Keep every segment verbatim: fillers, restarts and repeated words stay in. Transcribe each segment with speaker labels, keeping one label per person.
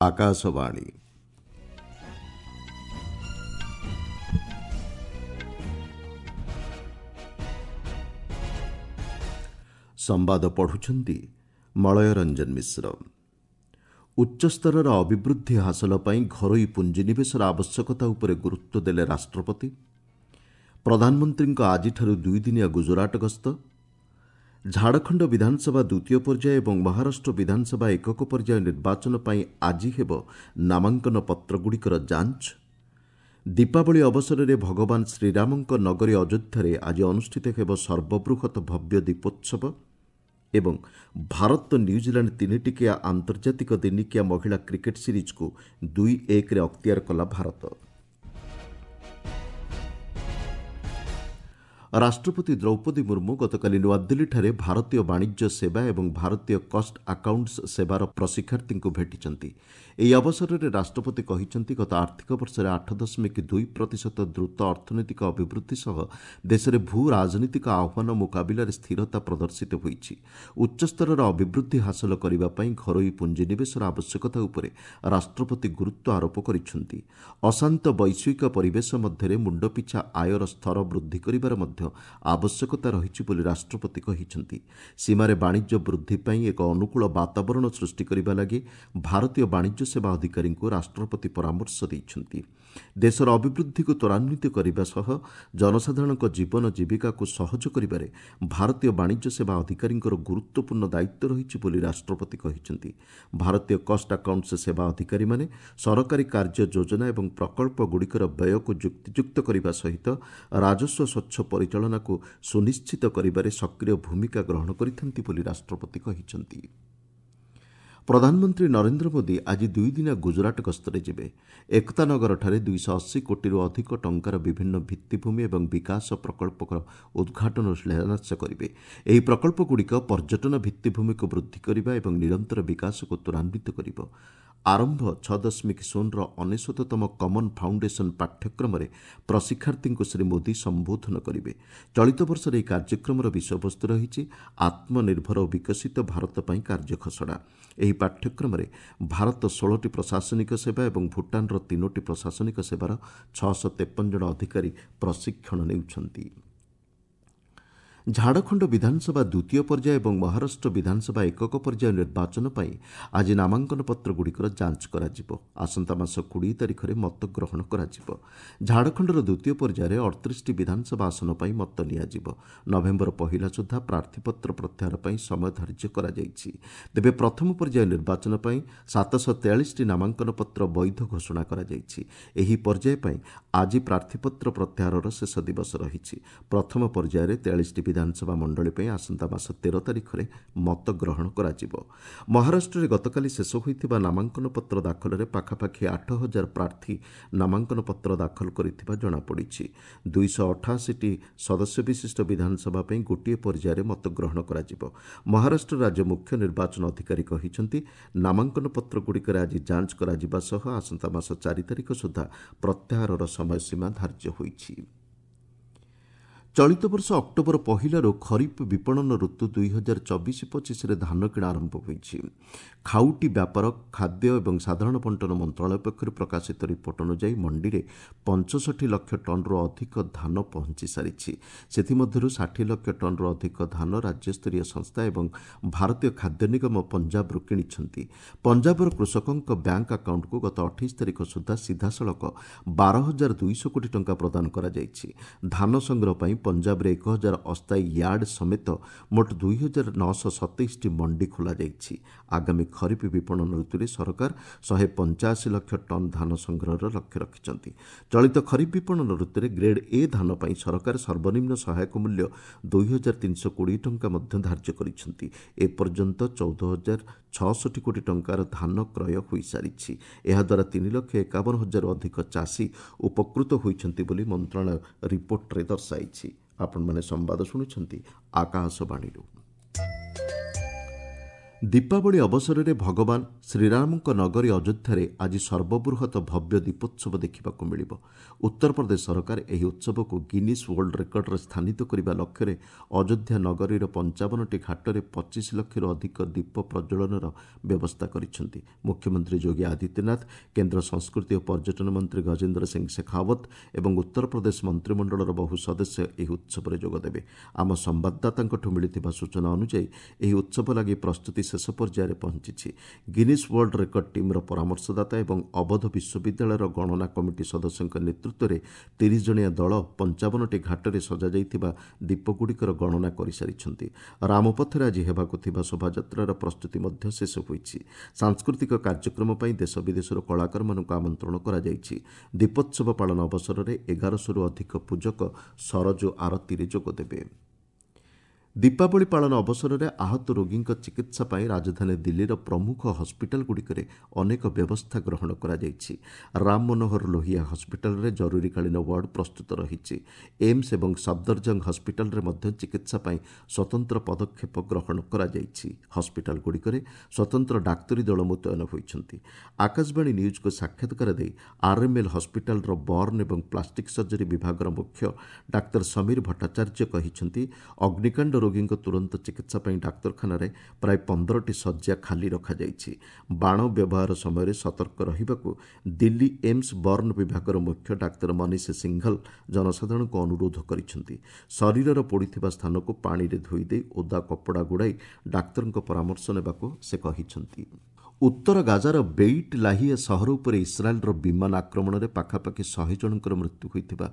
Speaker 1: ଆକାଶବାଣୀ। ସମ୍ବାଦ ପଢ଼ୁଛନ୍ତି ମଳୟ ରଞ୍ଜନ ମିଶ୍ର। ଉଚ୍ଚସ୍ତରର ଅଭିବୃଦ୍ଧି ହାସଲ ପାଇଁ ଘରୋଇ ପୁଞ୍ଜିନିବେଶର ଆବଶ୍ୟକତା ଉପରେ ଗୁରୁତ୍ୱ ଦେଲେ ରାଷ୍ଟ୍ରପତି। ପ୍ରଧାନମନ୍ତ୍ରୀଙ୍କ ଆଜିଠାରୁ ଦୁଇଦିନିଆ ଗୁଜରାଟ ଗସ୍ତ। ଝାଡ଼ଖଣ୍ଡ ବିଧାନସଭା ଦ୍ୱିତୀୟ ପର୍ଯ୍ୟାୟ ଏବଂ ମହାରାଷ୍ଟ୍ର ବିଧାନସଭା ଏକକ ପର୍ଯ୍ୟାୟ ନିର୍ବାଚନ ପାଇଁ ଆଜି ହେବ ନାମାଙ୍କନ ପତ୍ରଗୁଡ଼ିକର ଯାଞ୍ଚ। ଦୀପାବଳି ଅବସରରେ ଭଗବାନ ଶ୍ରୀରାମଙ୍କ ନଗରୀ ଅଯୋଧ୍ୟାରେ ଆଜି ଅନୁଷ୍ଠିତ ହେବ ସର୍ବବୃହତ ଭବ୍ୟ ଦୀପୋତ୍ସବ ଏବଂ ଭାରତ ନ୍ୟୁଜିଲାଣ୍ଡ ତିନିଟିକିଆ ଆନ୍ତର୍ଜାତିକ ଦିନିକିଆ ମହିଳା କ୍ରିକେଟ୍ ସିରିଜ୍କୁ ଦୁଇ ଏକରେ ଅକ୍ତିଆର କଲା ଭାରତ। ରାଷ୍ଟ୍ରପତି ଦ୍ରୌପଦୀ ମୁର୍ମୁ ଗତକାଲି ନୂଆଦିଲ୍ଲୀଠାରେ ଭାରତୀୟ ବାଣିଜ୍ୟ ସେବା ଏବଂ ଭାରତୀୟ କଷ୍ଟ ଆକାଉଣ୍ଟସ୍ ସେବାର ପ୍ରଶିକ୍ଷାର୍ଥୀଙ୍କୁ ଭେଟିଛନ୍ତି। ଏହି ଅବସରରେ ରାଷ୍ଟ୍ରପତି କହିଛନ୍ତି, ଗତ ଆର୍ଥିକ ବର୍ଷରେ ଆଠ ଦଶମିକ ଦୁଇ ପ୍ରତିଶତ ଦ୍ରୁତ ଅର୍ଥନୈତିକ ଅଭିବୃଦ୍ଧି ସହ ଦେଶରେ ଭୂ ରାଜନୈତିକ ଆହ୍ୱାନ ମୁକାବିଲାରେ ସ୍ଥିରତା ପ୍ରଦର୍ଶିତ ହୋଇଛି। ଉଚ୍ଚସ୍ତରର ଅଭିବୃଦ୍ଧି ହାସଲ କରିବା ପାଇଁ ଘରୋଇ ପୁଞ୍ଜିନିବେଶର ଆବଶ୍ୟକତା ଉପରେ ରାଷ୍ଟ୍ରପତି ଗୁରୁତ୍ୱ ଆରୋପ କରିଛନ୍ତି। ଅଶାନ୍ତ ବୈଶ୍ୱିକ ପରିବେଶ ମଧ୍ୟରେ ମୁଣ୍ଡପିଛା ଆୟର ସ୍ତର ବୃଦ୍ଧି କରିବାର ମଧ୍ୟ ଆବଶ୍ୟକତା ରହିଛି ବୋଲି ରାଷ୍ଟ୍ରପତି କହିଛନ୍ତି। ସୀମାରେ ବାଣିଜ୍ୟ ବୃଦ୍ଧି ପାଇଁ ଏକ ଅନୁକୂଳ ବାତାବରଣ ସୃଷ୍ଟି କରିବା ଲାଗି ଭାରତୀୟ ବାଣିଜ୍ୟ ସେବା ଅଧିକାରୀଙ୍କୁ ରାଷ୍ଟ୍ରପତି ପରାମର୍ଶ ଦେଇଛନ୍ତି। ଦେଶର ଅଭିବୃଦ୍ଧିକୁ ତ୍ୱରାନ୍ୱିତ କରିବା ସହ ଜନସାଧାରଣଙ୍କ ଜୀବନ ଜୀବିକାକୁ ସହଜ କରିବାରେ ଭାରତୀୟ ବାଣିଜ୍ୟ ସେବା ଅଧିକାରୀଙ୍କର ଗୁରୁତ୍ୱପୂର୍ଣ୍ଣ ଦାୟିତ୍ୱ ରହିଛି ବୋଲି ରାଷ୍ଟ୍ରପତି କହିଛନ୍ତି। ଭାରତୀୟ କଷ୍ଟ ଆକାଉଣ୍ଟସ୍ ସେବା ଅଧିକାରୀମାନେ ସରକାରୀ କାର୍ଯ୍ୟ ଯୋଜନା ଏବଂ ପ୍ରକଳ୍ପଗୁଡ଼ିକର ବ୍ୟୟକୁ ଯୁକ୍ତିଯୁକ୍ତ କରିବା ସହିତ ରାଜସ୍ୱ ସ୍ୱଚ୍ଛ ପରିଚାଳନାକୁ ସୁନିଶ୍ଚିତ କରିବାରେ ସକ୍ରିୟ ଭୂମିକା ଗ୍ରହଣ କରିଥାନ୍ତି ବୋଲି ରାଷ୍ଟ୍ରପତି କହିଛନ୍ତି। ପ୍ରଧାନମନ୍ତ୍ରୀ ନରେନ୍ଦ୍ର ମୋଦି ଆଜି ଦୁଇଦିନିଆ ଗୁଜରାଟ ଗସ୍ତରେ ଯିବେ। ଏକତାନଗରଠାରେ ଦୁଇଶହ ଅଶୀ କୋଟିରୁ ଅଧିକ ଟଙ୍କାର ବିଭିନ୍ନ ଭିତ୍ତିଭୂମି ଏବଂ ବିକାଶ ପ୍ରକଳ୍ପର ଉଦ୍ଘାଟନ ଓ ଶିଳାନ୍ୟାସ କରିବେ। ଏହି ପ୍ରକଳ୍ପଗୁଡ଼ିକ ପର୍ଯ୍ୟଟନ ଭିତ୍ତିଭୂମିକୁ ବୃଦ୍ଧି କରିବା ଏବଂ ନିରନ୍ତର ବିକାଶକୁ ତ୍ୱରାନ୍ୱିତ କରିବ। ଆରମ୍ଭ ଛଅ ଦଶମିକ ଶୂନର ଅନେଶ୍ୱତତମ କମନ୍ ଫାଉଣ୍ଡେସନ୍ ପାଠ୍ୟକ୍ରମରେ ପ୍ରଶିକ୍ଷାର୍ଥୀଙ୍କୁ ଶ୍ରୀ ମୋଦି ସମ୍ବୋଧନ କରିବେ। ଚଳିତ ବର୍ଷର ଏହି କାର୍ଯ୍ୟକ୍ରମର ବିଷୟବସ୍ତୁ ରହିଛି ଆତ୍ମନିର୍ଭର ଓ ବିକଶିତ ଭାରତ ପାଇଁ କାର୍ଯ୍ୟ ଖସଡ଼ା। ଏହି ପାଠ୍ୟକ୍ରମରେ ଭାରତ ଷୋହଳଟି ପ୍ରଶାସନିକ ସେବା ଏବଂ ଭୁଟାନର ତିନୋଟି ପ୍ରଶାସନିକ ସେବାର ଛଅଶହ ତେପନ ଜଣ ଅଧିକାରୀ ପ୍ରଶିକ୍ଷଣ ନେଉଛନ୍ତି। ଝାଡ଼ଖଣ୍ଡ ବିଧାନସଭା ଦ୍ୱିତୀୟ ପର୍ଯ୍ୟାୟ ଏବଂ ମହାରାଷ୍ଟ୍ର ବିଧାନସଭା ଏକକ ପର୍ଯ୍ୟାୟ ନିର୍ବାଚନ ପାଇଁ ଆଜି ନାମାଙ୍କନ ପତ୍ରଗୁଡ଼ିକର ଯାଞ୍ଚ କରାଯିବ। ଆସନ୍ତା ମାସ କୋଡ଼ିଏ ତାରିଖରେ ମତଗ୍ରହଣ କରାଯିବ। ଝାଡ଼ଖଣ୍ଡର ଦ୍ୱିତୀୟ ପର୍ଯ୍ୟାୟରେ ଅଠତିରିଶଟି ବିଧାନସଭା ଆସନ ପାଇଁ ମତ ନିଆଯିବ। ନଭେମ୍ବର ପହିଲା ସୁଦ୍ଧା ପ୍ରାର୍ଥୀପତ୍ର ପ୍ରତ୍ୟାହାର ପାଇଁ ସମୟ ଧାର୍ଯ୍ୟ କରାଯାଇଛି। ତେବେ ପ୍ରଥମ ପର୍ଯ୍ୟାୟ ନିର୍ବାଚନ ପାଇଁ ସାତଶହ ତେୟାଳିଶଟି ନାମାଙ୍କନ ପତ୍ର ବୈଧ ଘୋଷଣା କରାଯାଇଛି। ଏହି ପର୍ଯ୍ୟାୟ ପାଇଁ ଆଜି ପ୍ରାର୍ଥୀପତ୍ର ପ୍ରତ୍ୟାହାରର ଶେଷ ଦିବସ ରହିଛି। ପ୍ରଥମ ପର୍ଯ୍ୟାୟରେ ତେୟାଳିଶଟି ବିଧାନସଭା ମଣ୍ଡଳୀ ପାଇଁ ଆସନ୍ତା ମାସ ତେର ତାରିଖରେ ମତ ଗ୍ରହଣ କରାଯିବ। ମହାରାଷ୍ଟ୍ରରେ ଗତକାଲି ଶେଷ ହୋଇଥିବା ନାମାଙ୍କନ ପତ୍ର ଦାଖଲରେ ପାଖାପାଖି ଆଠ ହଜାର ପ୍ରାର୍ଥୀ ନାମାଙ୍କନ ପତ୍ର ଦାଖଲ କରିଥିବା ଜଣାପଡ଼ିଛି। ଦୁଇଶହ ଅଠାଅଶୀଟି ସଦସ୍ୟ ବିଶିଷ୍ଟ ବିଧାନସଭା ପାଇଁ ଗୋଟିଏ ପର୍ଯ୍ୟାୟରେ ମତଗ୍ରହଣ କରାଯିବ। ମହାରାଷ୍ଟ୍ର ରାଜ୍ୟ ମୁଖ୍ୟ ନିର୍ବାଚନ ଅଧିକାରୀ କହିଛନ୍ତି, ନାମାଙ୍କନ ପତ୍ରଗୁଡ଼ିକରେ ଆଜି ଯାଞ୍ଚ କରାଯିବା ସହ ଆସନ୍ତା ମାସ ଚାରି ତାରିଖ ସୁଦ୍ଧା ପ୍ରତ୍ୟାହାରର ସମୟସୀମା ଧାର୍ଯ୍ୟ ହୋଇଛି। ଚଳିତ ବର୍ଷ ଅକ୍ଟୋବର ପହିଲାରୁ ଖରିଫ ବିପଣନ ଋତୁ ଦୁଇ ହଜାର ଚବିଶ ପଚିଶରେ ଧାନ କିଣା ଆରମ୍ଭ ହୋଇଛି। ଖାଉଟି ବ୍ୟାପାର, ଖାଦ୍ୟ ଏବଂ ସାଧାରଣ ବଣ୍ଟନ ମନ୍ତ୍ରଣାଳୟ ପକ୍ଷରୁ ପ୍ରକାଶିତ ରିପୋର୍ଟ ଅନୁଯାୟୀ ମଣ୍ଡିରେ ପଞ୍ଚଷଠି ଲକ୍ଷ ଟନ୍ରୁ ଅଧିକ ଧାନ ପହଞ୍ଚି ସାରିଛି। ସେଥିମଧ୍ୟରୁ ଷାଠିଏ ଲକ୍ଷ ଟନ୍ରୁ ଅଧିକ ଧାନ ରାଜ୍ୟସ୍ତରୀୟ ସଂସ୍ଥା ଏବଂ ଭାରତୀୟ ଖାଦ୍ୟ ନିଗମ ପଞ୍ଜାବରୁ କିଣିଛନ୍ତି। ପଞ୍ଜାବର କୃଷକଙ୍କ ବ୍ୟାଙ୍କ ଆକାଉଣ୍ଟକୁ ଗତ ଅଠେଇଶ ତାରିଖ ସୁଦ୍ଧା ସିଧାସଳଖ ବାର ହଜାର ଦୁଇଶହ କୋଟି ଟଙ୍କା ପ୍ରଦାନ କରାଯାଇଛି। ଧାନ ସଂଗ୍ରହ ପାଇଁ ପଞ୍ଜାବରେ ଏକ ହଜାର ଅସ୍ଥାୟୀ ୟାର୍ଡ ସମେତ ମୋଟ ଦୁଇ ହଜାର ନଅଶହ ସତେଇଶଟି ମଣ୍ଡି ଖୋଲାଯାଇଛି। ଆଗାମୀ ଖରିଫ ବିପଣନ ଋତୁରେ ସରକାର ଶହେ ପଞ୍ଚାଅଶୀ ଲକ୍ଷ ଟନ୍ ଧାନ ସଂଗ୍ରହର ଲକ୍ଷ୍ୟ ରଖିଛନ୍ତି। ଚଳିତ ଖରିଫ ବିପଣନ ଋତୁରେ ଗ୍ରେଡ୍ ଏ ଧାନ ପାଇଁ ସରକାର ସର୍ବନିମ୍ନ ସହାୟକ ମୂଲ୍ୟ ଦୁଇ ହଜାର ତିନିଶହ କୋଡ଼ିଏ ଟଙ୍କା ମଧ୍ୟ ଧାର୍ଯ୍ୟ କରିଛନ୍ତି। ଏପର୍ଯ୍ୟନ୍ତ ଚଉଦ ହଜାର ଛଅଷଠି କୋଟି ଟଙ୍କାର ଧାନ କ୍ରୟ ହୋଇସାରିଛି। ଏହାଦ୍ୱାରା ତିନି ଲକ୍ଷ ଏକାବନ ହଜାରରୁ ଅଧିକ ଚାଷୀ ଉପକୃତ ହୋଇଛନ୍ତି ବୋଲି ମନ୍ତ୍ରଣାଳୟ ରିପୋର୍ଟରେ ଦର୍ଶାଇଛି। ଆପଣମାନେ ସମ୍ବାଦ ଶୁଣୁଛନ୍ତି ଆକାଶବାଣୀରୁ। ଦୀପାବଳି ଅବସରରେ ଭଗବାନ ଶ୍ରୀରାମଙ୍କ ନଗରୀ ଅଯୋଧ୍ୟାରେ ଆଜି ସର୍ବବୃହତ ଭବ୍ୟ ଦୀପୋତ୍ସବ ଦେଖିବାକୁ ମିଳିବ। ଉତ୍ତରପ୍ରଦେଶ ସରକାର ଏହି ଉତ୍ସବକୁ ଗିନିସ୍ ୱାର୍ଲଡ ରେକର୍ଡରେ ସ୍ଥାନିତ କରିବା ଲକ୍ଷ୍ୟରେ ଅଯୋଧ୍ୟା ନଗରୀର ପଞ୍ଚାବନଟି ଘାଟରେ ପଚିଶ ଲକ୍ଷରୁ ଅଧିକ ଦୀପ ପ୍ରଜ୍ୱଳନର ବ୍ୟବସ୍ଥା କରିଛନ୍ତି। ମୁଖ୍ୟମନ୍ତ୍ରୀ ଯୋଗୀ ଆଦିତ୍ୟନାଥ, କେନ୍ଦ୍ର ସଂସ୍କୃତି ଓ ପର୍ଯ୍ୟଟନ ମନ୍ତ୍ରୀ ଗଜେନ୍ଦ୍ର ସିଂ ଶେଖାଓ୍ୱତ ଏବଂ ଉତ୍ତରପ୍ରଦେଶ ମନ୍ତ୍ରିମଣ୍ଡଳର ବହୁ ସଦସ୍ୟ ଏହି ଉତ୍ସବରେ ଯୋଗଦେବେ। ଆମ ସମ୍ବାଦଦାତାଙ୍କଠୁ ମିଳିଥିବା ସୂଚନା ଅନୁଯାୟୀ ଏହି ଉତ୍ସବ ଲାଗି ପ୍ରସ୍ତୁତି ଶେଷ ପର୍ଯ୍ୟାୟରେ ପହଞ୍ଚିଛି। ଗିନିସ୍ ୱାର୍ଲଡ ରେକର୍ଡ ଟିମ୍ର ପରାମର୍ଶଦାତା ଏବଂ ଅବଧ ବିଶ୍ୱବିଦ୍ୟାଳୟର ଗଣନା କମିଟି ସଦସ୍ୟଙ୍କ ନେତୃତ୍ୱରେ ତିରିଶ ଜଣିଆ ଦଳ ପଞ୍ଚାବନଟି ଘାଟରେ ସଜାଯାଇଥିବା ଦୀପଗୁଡ଼ିକର ଗଣନା କରିସାରିଛନ୍ତି। ରାମପଥରେ ଆଜି ହେବାକୁ ଥିବା ଶୋଭାଯାତ୍ରାର ପ୍ରସ୍ତୁତି ମଧ୍ୟ ଶେଷ ହୋଇଛି। ସାଂସ୍କୃତିକ କାର୍ଯ୍ୟକ୍ରମ ପାଇଁ ଦେଶ ବିଦେଶରୁ କଳାକାରମାନଙ୍କୁ ଆମନ୍ତ୍ରଣ କରାଯାଇଛି। ଦୀପୋତ୍ସବ ପାଳନ ଅବସରରେ ଏଗାରଶହରୁ ଅଧିକ ପୂଜକ ସରଜୁ ଆରତୀରେ ଯୋଗଦେବେ। ଦୀପାବଳି ପାଳନ ଅବସରରେ ଆହତ ରୋଗୀଙ୍କ ଚିକିତ୍ସା ପାଇଁ ରାଜଧାନୀ ଦିଲ୍ଲୀର ପ୍ରମୁଖ ହସ୍ପିଟାଲଗୁଡ଼ିକରେ ଅନେକ ବ୍ୟବସ୍ଥା ଗ୍ରହଣ କରାଯାଇଛି। ରାମ ମନୋହର ଲୋହିଆ ହସ୍ପିଟାଲରେ ଜରୁରୀକାଳୀନ ୱାର୍ଡ ପ୍ରସ୍ତୁତ ରହିଛି। ଏମ୍ସ ଏବଂ ସଫଦରଜଙ୍ଗ ହସ୍ପିଟାଲରେ ମଧ୍ୟ ଚିକିତ୍ସା ପାଇଁ ସ୍ୱତନ୍ତ୍ର ପଦକ୍ଷେପ ଗ୍ରହଣ କରାଯାଇଛି। ହସ୍ପିଟାଲଗୁଡ଼ିକରେ ସ୍ୱତନ୍ତ୍ର ଡାକ୍ତରୀ ଦଳ ମୁତୟନ ହୋଇଛନ୍ତି। ଆକାଶବାଣୀ ନ୍ୟୁଜ୍କୁ ସାକ୍ଷାତକାର ଦେଇ ଆର୍ଏମ୍ଏଲ୍ ହସ୍ପିଟାଲର ବର୍ନ ଏବଂ ପ୍ଲାଷ୍ଟିକ୍ ସର୍ଜରୀ ବିଭାଗର ମୁଖ୍ୟ ଡାକ୍ତର ସମୀର ଭଟ୍ଟାଚାର୍ଯ୍ୟ କହିଛନ୍ତି, ଅଗ୍ନିକାଣ୍ଡ ରୋଗୀଙ୍କ ତୁରନ୍ତ ଚିକିତ୍ସା ପାଇଁ ଡାକ୍ତରଖାନାରେ ପ୍ରାୟ ପନ୍ଦରଟି ଶଯ୍ୟା ଖାଲି ରଖାଯାଇଛି। ବାଣ ବ୍ୟବହାର ସମୟରେ ସତର୍କ ରହିବାକୁ ଦିଲ୍ଲୀ ଏମ୍ସ ବର୍ନ ବିଭାଗର ମୁଖ୍ୟ ଡାକ୍ତର ମନୀଷ ସିଂଘଲ ଜନସାଧାରଣଙ୍କୁ ଅନୁରୋଧ କରିଛନ୍ତି। ଶରୀରର ପୋଡ଼ିଥିବା ସ୍ଥାନକୁ ପାଣିରେ ଧୋଇଦେଇ ଓଦା କପଡ଼ା ଗୁଡ଼ାଇ ଡାକ୍ତରଙ୍କ ପରାମର୍ଶ ନେବାକୁ ସେ କହିଛନ୍ତି। ଉତ୍ତର ଗାଜାର ବେଇଟ୍ ଲାହିଆ ସହର ଉପରେ ଇସ୍ରାଏଲ୍ର ବିମାନ ଆକ୍ରମଣରେ ପାଖାପାଖି ଶହେ ଜଣଙ୍କର ମୃତ୍ୟୁ ହୋଇଥିବା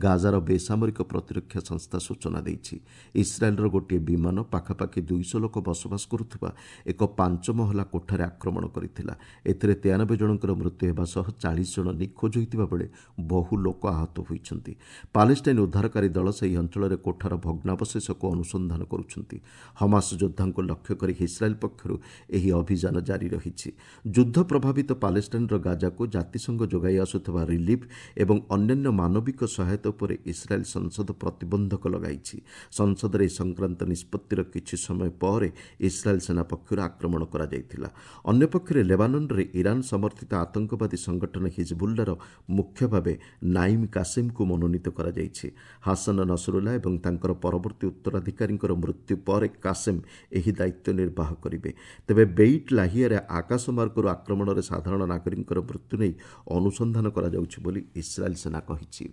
Speaker 1: ଗାଜାର ବେସାମରିକ ପ୍ରତିରକ୍ଷା ସଂସ୍ଥା ସୂଚନା ଦେଇଛି। ଇସ୍ରାଏଲ୍ର ଗୋଟିଏ ବିମାନ ପାଖାପାଖି ଦୁଇଶହ ଲୋକ ବସବାସ କରୁଥିବା ଏକ ପାଞ୍ଚ ମହଲା କୋଠାରେ ଆକ୍ରମଣ କରିଥିଲା। ଏଥିରେ ତେୟାନବେ ଜଣଙ୍କର ମୃତ୍ୟୁ ହେବା ସହ ଚାଳିଶ ଜଣ ନିଖୋଜ ହୋଇଥିବା ବେଳେ ବହୁ ଲୋକ ଆହତ ହୋଇଛନ୍ତି। ପାଲେଷ୍ଟାଇନ୍ ଉଦ୍ଧାରକାରୀ ଦଳ ସେହି ଅଞ୍ଚଳରେ କୋଠାର ଭଗ୍ନାବଶେଷକୁ ଅନୁସନ୍ଧାନ କରୁଛନ୍ତି। ହମାସ ଯୋଦ୍ଧାଙ୍କୁ ଲକ୍ଷ୍ୟ କରି ଇସ୍ରାଏଲ୍ ପକ୍ଷରୁ ଏହି ଅଭିଯାନ ଜାରି ରହିଛି। ଯୁଦ୍ଧ ପ୍ରଭାବିତ ପାଲେଷ୍ଟାଇନ୍ର ଗାଜାକୁ ଜାତିସଂଘ ଯୋଗାଇ ଆସୁଥିବା ରିଲିଫ୍ ଏବଂ ଅନ୍ୟାନ୍ୟ ମାନବିକ ସହାୟତା ଉପରେ ଇସ୍ରାଏଲ୍ ସଂସଦ ପ୍ରତିବନ୍ଧକ ଲଗାଇଛି। ସଂସଦରେ ଏ ସଂକ୍ରାନ୍ତ ନିଷ୍ପତ୍ତିର କିଛି ସମୟ ପରେ ଇସ୍ରାଏଲ୍ ସେନା ପକ୍ଷରୁ ଆକ୍ରମଣ କରାଯାଇଥିଲା। ଅନ୍ୟପକ୍ଷରେ ଲେବାନନରେ ଇରାନ ସମର୍ଥିତ ଆତଙ୍କବାଦୀ ସଂଗଠନ ହିଜବୁଲ୍ଲାର ମୁଖ୍ୟ ଭାବେ ନାଇମ୍ କାସିମ୍କୁ ମନୋନୀତ କରାଯାଇଛି। ହାସନ ନସରୁଲ୍ଲା ଏବଂ ତାଙ୍କର ପରବର୍ତ୍ତୀ ଉତ୍ତରାଧିକାରୀଙ୍କର ମୃତ୍ୟୁ ପରେ କାସିମ୍ ଏହି ଦାୟିତ୍ୱ ନିର୍ବାହ କରିବେ। ତେବେ ବେଇଟ୍ ଲାହିଆରେ ଆକାଶମାର୍ଗରୁ ଆକ୍ରମଣରେ ସାଧାରଣ ନାଗରିକଙ୍କର ମୃତ୍ୟୁ ନେଇ ଅନୁସନ୍ଧାନ କରାଯାଉଛି ବୋଲି ଇସ୍ରାଏଲ୍ ସେନା କହିଛି।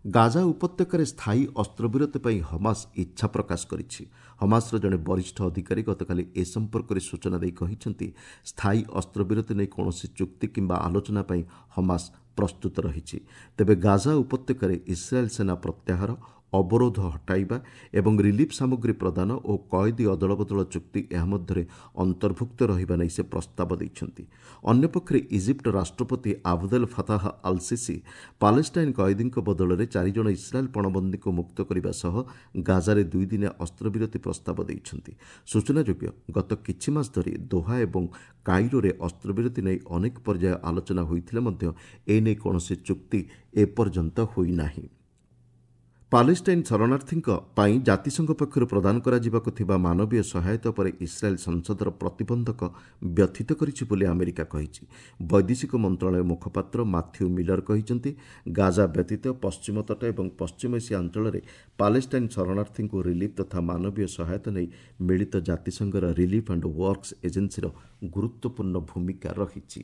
Speaker 1: ଗାଜା ଉପତ୍ୟକାରେ ସ୍ଥାୟୀ ଅସ୍ତ୍ରବିରତି ପାଇଁ ହମାସ ଇଚ୍ଛା ପ୍ରକାଶ କରିଛି। ହମାସର ଜଣେ ବରିଷ୍ଠ ଅଧିକାରୀ ଗତକାଲି ଏ ସମ୍ପର୍କରେ ସୂଚନା ଦେଇ କହିଛନ୍ତି, ସ୍ଥାୟୀ ଅସ୍ତ୍ରବିରତି ନେଇ କୌଣସି ଚୁକ୍ତି କିମ୍ବା ଆଲୋଚନା ପାଇଁ ହମାସ ପ୍ରସ୍ତୁତ ରହିଛି। ତେବେ ଗାଜା ଉପତ୍ୟକାରେ ଇସ୍ରାଏଲ୍ ସେନା ପ୍ରତ୍ୟାହାର, ଅବରୋଧ ହଟାଇବା ଏବଂ ରିଲିଫ୍ ସାମଗ୍ରୀ ପ୍ରଦାନ ଓ କଏଦୀ ଅଦଳବଦଳ ଚୁକ୍ତି ଏହା ମଧ୍ୟରେ ଅନ୍ତର୍ଭୁକ୍ତ ରହିବା ନେଇ ସେ ପ୍ରସ୍ତାବ ଦେଇଛନ୍ତି। ଅନ୍ୟପକ୍ଷରେ ଇଜିପ୍ଟ ରାଷ୍ଟ୍ରପତି ଆବଦେଲ ଫତାହ ଅଲ୍ ସିସି ପାଲେଷ୍ଟାଇନ୍ କଏଦୀଙ୍କ ବଦଳରେ ଚାରିଜଣ ଇସ୍ରାଏଲ୍ ପଣବନ୍ଦୀଙ୍କୁ ମୁକ୍ତ କରିବା ସହ ଗାଜାରେ ଦୁଇଦିନିଆ ଅସ୍ତ୍ରବିରତି ପ୍ରସ୍ତାବ ଦେଇଛନ୍ତି। ସୂଚନାଯୋଗ୍ୟ, ଗତ କିଛି ମାସ ଧରି ଦୋହା ଏବଂ କାଇରୋରେ ଅସ୍ତ୍ରବିରତି ନେଇ ଅନେକ ପର୍ଯ୍ୟାୟ ଆଲୋଚନା ହୋଇଥିଲେ ମଧ୍ୟ ଏନେଇ କୌଣସି ଚୁକ୍ତି ଏପର୍ଯ୍ୟନ୍ତ ହୋଇନାହିଁ। ପାଲେଷ୍ଟାଇନ୍ ଶରଣାର୍ଥୀଙ୍କ ପାଇଁ ଜାତିସଂଘ ପକ୍ଷରୁ ପ୍ରଦାନ କରାଯିବାକୁ ଥିବା ମାନବୀୟ ସହାୟତା ଉପରେ ଇସ୍ରାଏଲ୍ ସଂସଦର ପ୍ରତିବନ୍ଧକ ବ୍ୟଥିତ କରିଛି ବୋଲି ଆମେରିକା କହିଛି। ବୈଦେଶିକ ମନ୍ତ୍ରଣାଳୟ ମୁଖପାତ୍ର ମାଥ୍ୟୁ ମିଲର କହିଛନ୍ତି, ଗାଜା ବ୍ୟତୀତ ପଶ୍ଚିମ ତଟ ଏବଂ ପଶ୍ଚିମ ଏସିଆ ଅଞ୍ଚଳରେ ପାଲେଷ୍ଟାଇନ୍ ଶରଣାର୍ଥୀଙ୍କୁ ରିଲିଫ୍ ତଥା ମାନବୀୟ ସହାୟତା ନେଇ ମିଳିତ ଜାତିସଂଘର ରିଲିଫ୍ ଆଣ୍ଡ ୱାର୍କସ୍ ଏଜେନ୍ସିର ଗୁରୁତ୍ୱପୂର୍ଣ୍ଣ ଭୂମିକା ରହିଛି।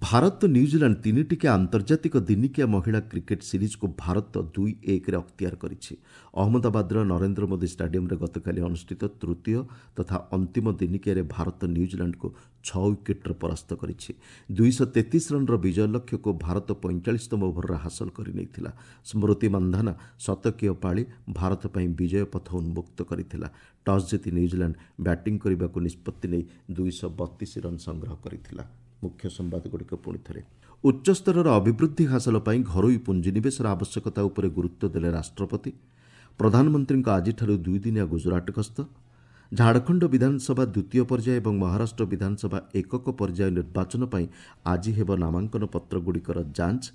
Speaker 1: ଭାରତ ନ୍ୟୁଜିଲାଣ୍ଡ ତିନିଟିକିଆ ଆନ୍ତର୍ଜାତିକ ଦିନିକିଆ ମହିଳା କ୍ରିକେଟ୍ ସିରିଜ୍କୁ ଭାରତ ଦୁଇ ଏକରେ ଅକ୍ତିଆର କରିଛି। ଅହମ୍ମଦାବାଦର ନରେନ୍ଦ୍ର ମୋଦି ଷ୍ଟାଡିୟମରେ ଗତକାଲି ଅନୁଷ୍ଠିତ ତୃତୀୟ ତଥା ଅନ୍ତିମ ଦିନିକିଆରେ ଭାରତ ନ୍ୟୁଜିଲାଣ୍ଡକୁ ଛଅ ୱିକେଟ୍ରେ ପରାସ୍ତ କରିଛି। ଦୁଇଶହ ତେତିଶ ରନ୍ର ବିଜୟ ଲକ୍ଷ୍ୟକୁ ଭାରତ ପଇଁଚାଳିଶତମ ଓଭରରେ ହାସଲ କରିନେଇଥିଲା। ସ୍ମୃତି ମନ୍ଧାନା ଶତକୀୟ ପାଳି ଭାରତ ପାଇଁ ବିଜୟ ପଥ ଉନ୍ମୁକ୍ତ କରିଥିଲା। ଟସ୍ ଜିତି ନ୍ୟୁଜିଲାଣ୍ଡ ବ୍ୟାଟିଂ କରିବାକୁ ନିଷ୍ପତ୍ତି ନେଇ ଦୁଇଶହ ବତିଶ ରନ୍ ସଂଗ୍ରହ କରିଥିଲା। ମୁଖ୍ୟ ସମ୍ବାଦଗୁଡ଼ିକ ପୁଣି ଥରେ। ଉଚ୍ଚସ୍ତରର ଅଭିବୃଦ୍ଧି ହାସଲ ପାଇଁ ଘରୋଇ ପୁଞ୍ଜିନିବେଶର ଆବଶ୍ୟକତା ଉପରେ ଗୁରୁତ୍ୱ ଦେଲେ ରାଷ୍ଟ୍ରପତି। ପ୍ରଧାନମନ୍ତ୍ରୀଙ୍କ ଆଜିଠାରୁ ଦୁଇଦିନିଆ ଗୁଜରାଟ ଗସ୍ତ। ଝାଡ଼ଖଣ୍ଡ ବିଧାନସଭା ଦ୍ୱିତୀୟ ପର୍ଯ୍ୟାୟ ଏବଂ ମହାରାଷ୍ଟ୍ର ବିଧାନସଭା ଏକକ ପର୍ଯ୍ୟାୟ ନିର୍ବାଚନ ପାଇଁ ଆଜି ହେବ ନାମାଙ୍କନ ପତ୍ରଗୁଡ଼ିକର ଯାଞ୍ଚ।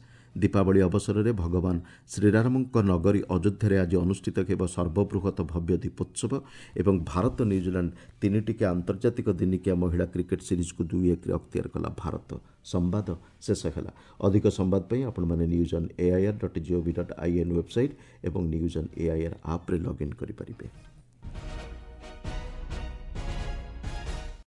Speaker 1: ଦୀପାବଳି ଅବସରରେ ଭଗବାନ ଶ୍ରୀରାମଙ୍କ ନଗରୀ ଅଯୋଧ୍ୟାରେ ଆଜି ଅନୁଷ୍ଠିତ ହେବ ସର୍ବବୃହତ ଭବ୍ୟ ଦୀପୋତ୍ସବ ଏବଂ ଭାରତ ନ୍ୟୁଜିଲାଣ୍ଡ ତିନିଟିକିଆ ଆନ୍ତର୍ଜାତିକ ଦିନିକିଆ ମହିଳା କ୍ରିକେଟ୍ ସିରିଜ୍କୁ ଦୁଇ ଏକରେ ଅକ୍ତିଆର କଲା ଭାରତ। ସମ୍ବାଦ ଶେଷ ହେଲା। ଅଧିକ ସମ୍ବାଦ ପାଇଁ ଆପଣମାନେ news on AIR dot GOV dot IN website ଏବଂ ନ୍ୟୁଜ୍ ଅନ୍ ଏଆଇଆର୍ ଆପ୍ରେ ଲଗ୍ଇନ୍ କରିପାରିବେ।